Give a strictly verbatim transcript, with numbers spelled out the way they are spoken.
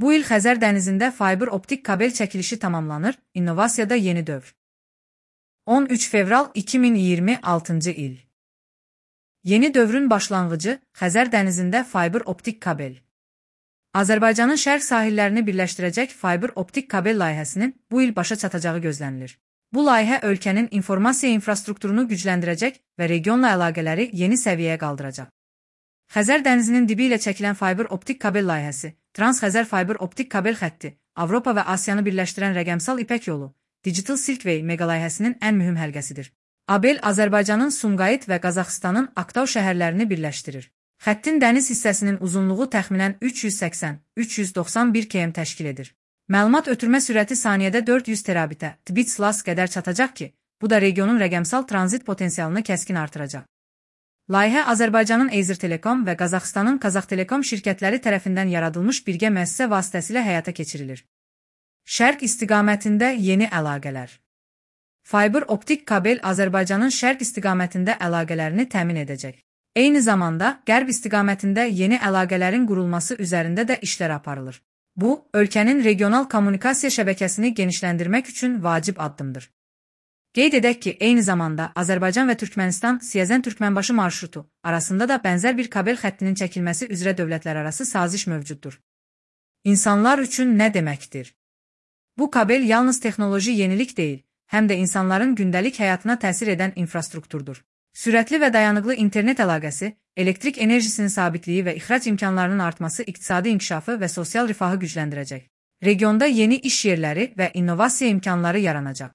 Bu il Xəzər dənizində fayber optik kabel çəkilişi tamamlanır, innovasiyada yeni dövr. on üç fevral iki min iyirmi altıncı il. Yeni dövrün başlanğıcı, Xəzər dənizində fayber optik kabel. Azərbaycanın şərq sahillərini birləşdirəcək fayber optik kabel layihəsinin bu il başa çatacağı gözlənilir. Bu layihə ölkənin informasiya infrastrukturunu gücləndirəcək və regionla əlaqələri yeni səviyyəyə qaldıracaq. Xəzər dənizinin dibi ilə çəkilən fayber optik kabel layihəsi, Trans-Xəzər fayber optik kabel xətti, Avropa və Asiyanı birləşdirən rəqəmsal İpək yolu, Digital Silk Way mega layihəsinin ən mühüm həlqəsidir. Abel Azərbaycanın Sumqayıt və Qazaxıstanın Aktau şəhərlərini birləşdirir. Xəttin dəniz hissəsinin uzunluğu təxminən üç yüz səksən - üç yüz doxsan bir kilometr təşkil edir. Məlumat ötürmə sürəti saniyədə dörd yüz terabitə (tbits) qədər çatacaq ki, bu da regionun rəqəmsal tranzit potensialını kəskin artıracaq. Layihə Azərbaycanın Azer Telekom və Qazaxıstanın Qazax Telekom şirkətləri tərəfindən yaradılmış birgə müəssisə vasitəsilə həyata keçirilir. Şərq istiqamətində yeni əlaqələr. Fayber optik kabel Azərbaycanın şərq istiqamətində əlaqələrini təmin edəcək. Eyni zamanda, qərb istiqamətində yeni əlaqələrin qurulması üzərində də işlər aparılır. Bu, ölkənin regional kommunikasiya şəbəkəsini genişləndirmək üçün vacib addımdır. Qeyd edək ki, eyni zamanda Azərbaycan və Türkmənistan-Siyəzən-Türkmənbaşı marşrutu arasında da bənzər bir kabel xəttinin çəkilməsi üzrə dövlətlərarası saziş mövcuddur. İnsanlar üçün nə deməkdir? Bu kabel yalnız texnoloji yenilik deyil, həm də insanların gündəlik həyatına təsir edən infrastrukturdur. Sürətli və dayanıqlı internet əlaqəsi, elektrik enerjisinin sabitliyi və ixrac imkanlarının artması iqtisadi inkişafı və sosial rifahı gücləndirəcək. Regionda yeni iş yerləri və innovasiya imkanları yaranacaq.